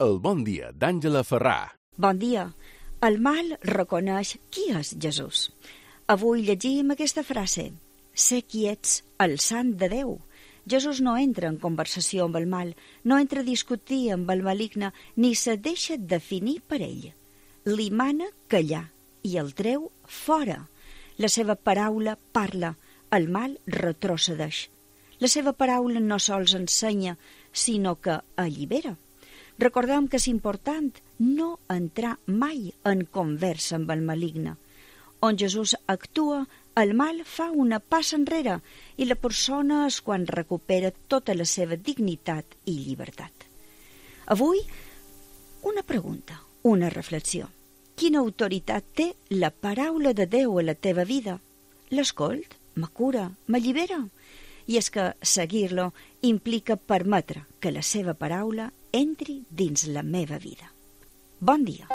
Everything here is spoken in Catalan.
El bon dia d'Àngela Ferrà. Bon dia. El mal reconeix qui és Jesús. Avui llegim aquesta frase: «Sé qui ets, el sant de Déu». Jesús no entra en conversació amb el mal, no entra a discutir amb el maligne, ni se deixa definir per ell. Li mana callar i el treu fora. La seva paraula parla, el mal retrocedeix. La seva paraula no sols ensenya, sinó que allibera. Recordem que és important no entrar mai en conversa amb el maligne. On Jesús actua, el mal fa una passa enrere i la persona és quan recupera tota la seva dignitat i llibertat. Avui, una pregunta, una reflexió. Quina autoritat té la paraula de Déu a la teva vida? L'escolt? Me cura? M'allibera? I és que seguir-lo implica permetre que la seva paraula entri dins la meva vida. Bon dia.